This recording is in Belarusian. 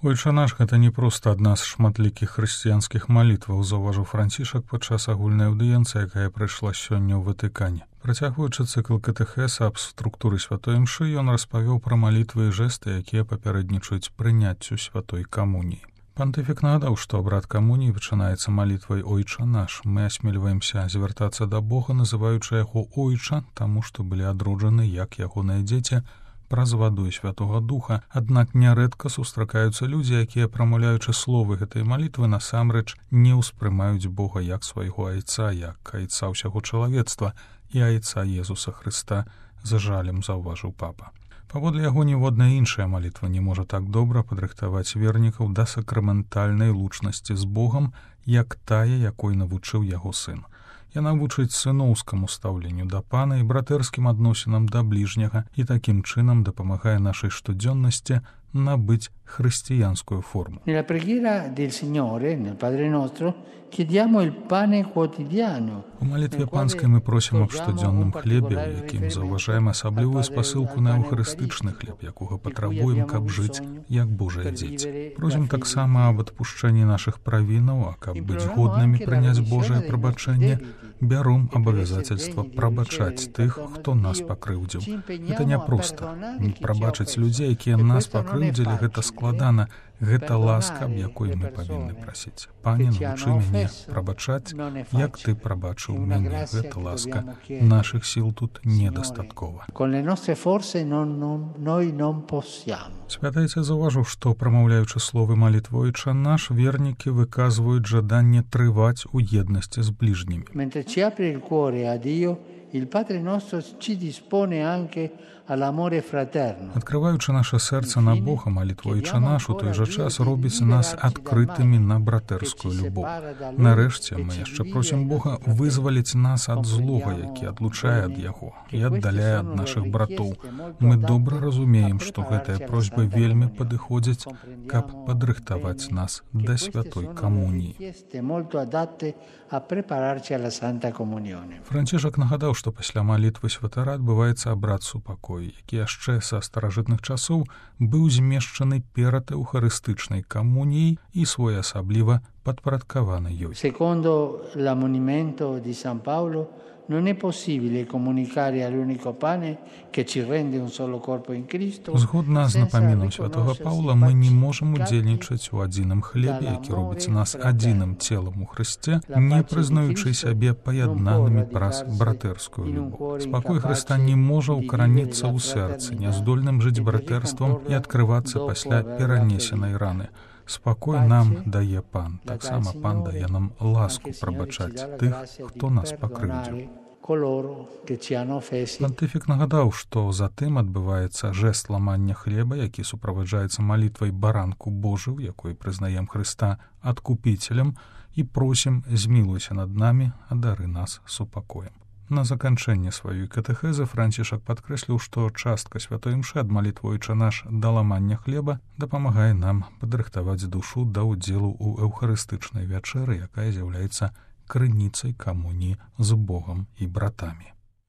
Ойча наш гэта не проста адна з шматлікіх хрысціянскіх малітваў, заўважыў Францішак падчас агульнай аўдыенцыі, якая прайшла сёння ў Ватыкане. Працягваючы цыкл катэхеса аб структуры святой імшы, ён распавёў пра малітвы і жэсты, якія папярэднічаюць прыняццю святой камуніі. Пантыфік нагадаў, што абрад камуніі пачынаецца малітвай «Ойча наш». Мы асмельваемся звяртацца да Бога, называючы яго «Ойча», таму што былі адроджаны як ягоныя дзеці праз ваду і святога духа, аднак нярэдка сустракаюцца людзі, якія, прамаўляючы словы гэтай малітвы, насамрэч не ўспрымаюць Бога як свайго айца, як айца ўсяго чалавецтва і айца Езуса Хрыста, з жалем заўважыў папа. Паводле яго ніводная іншая малітва не можа так добра падрыхтаваць вернікаў да сакраментальнай лучнасці з Богам, як тая, якой навучыў яго сын. Яна вучыць сыноўскаму стаўленню да пана і братэрскім адносінам да бліжняга і такім чынам дапамагае нашай штодзённасці набыць хрысціянскую форму. Nella preghiera del Signore, nel Padre nostro, chiediamo il pane quotidiano. У малітве панскай мы просім аб штодзённым хлебе, у якім заўважаем асаблівую спасылку на эўхарыстычны хлеб, якога патрабуем, каб жыць як Божыя дзеці. Просім таксама аб адпушчэнні нашых правінаў, а каб быць годнымі прыняць Божае прабачэнне, бяром абавязацельства прабачаць тых, хто нас пакрыўдзіў. Гэта няпроста. Прабачыць людзей, якія нас пакрыўдзілі, гэта складана. Гэта ласка, аб якой мы павінны прасіць. Пане, навучы мяне прабачаць, як ты прабачыў мяне. Гэта ласка. Нашых сіл тут недастаткова. Святайца заўважыў, што, прамаўляючы словы малітвы «Ойча наш», вернікі выказваюць жаданне трываць у еднасці з бліжнімі. Il Padre nostro ci dispone anche all'amore fraterno. Адкрываючы наша сэрца на Бога, малітва «Ойча наш» у той жа час робіць нас адкрытымі на братэрскую любоў. Нарэшце мы яшчэ просім Бога вызваліць нас ад злога, які адлучае ад яго і аддаляе ад нашых братоў. Мы добра разумеем, што гэтыя просьбы вельмі падыходзяць, каб падрыхтаваць нас да святой камуніі. Францішак нагадаў, што пасля малітвы святара адбываецца абрад супакою, які яшчэ са старажытных часоў быў змешчаны перад эўхарыстычнай камуніяй і своеасабліва падпарадкаваны ёй. Secondo l'ammonimento di San Paolo, non è possibile comunicare all'unico pane che ci rende un solo corpo in Cristo. Згодна з напамінам святога Паўла, мы не можам удзельнічаць у адзіным хлебе, які робіць нас адзіным целам у Хрысце, не прызнаючы сябе паяднанымі праз братэрскую любоў. Спакой Хрыста не можа ўкараніцца ў сэрцы, няздольным жыць братэрствам і адкрывацца пасля перанесенай раны. Спакой нам дае пан, таксама пан дае нам ласку прабачаць тых, хто нас пакрыўдзіў. Пантыфік нагадаў, што затым адбываецца жэст ламання хлеба, які суправаджаецца малітвай баранку Божыў, якой прызнаем Хрыста адкупіцелем і просім змілуйся над намі, адары нас супакоем. На заканчэнне сваёй катэхезы Францішак падкрэсліў, што частка святой імшы ад малітвы «Ойча наш» да ламання хлеба дапамагае нам падрыхтаваць душу да ўдзелу ў эўхарыстычнай вячэры, якая з'яўляецца крыніцай камуніі з Богам і братамі.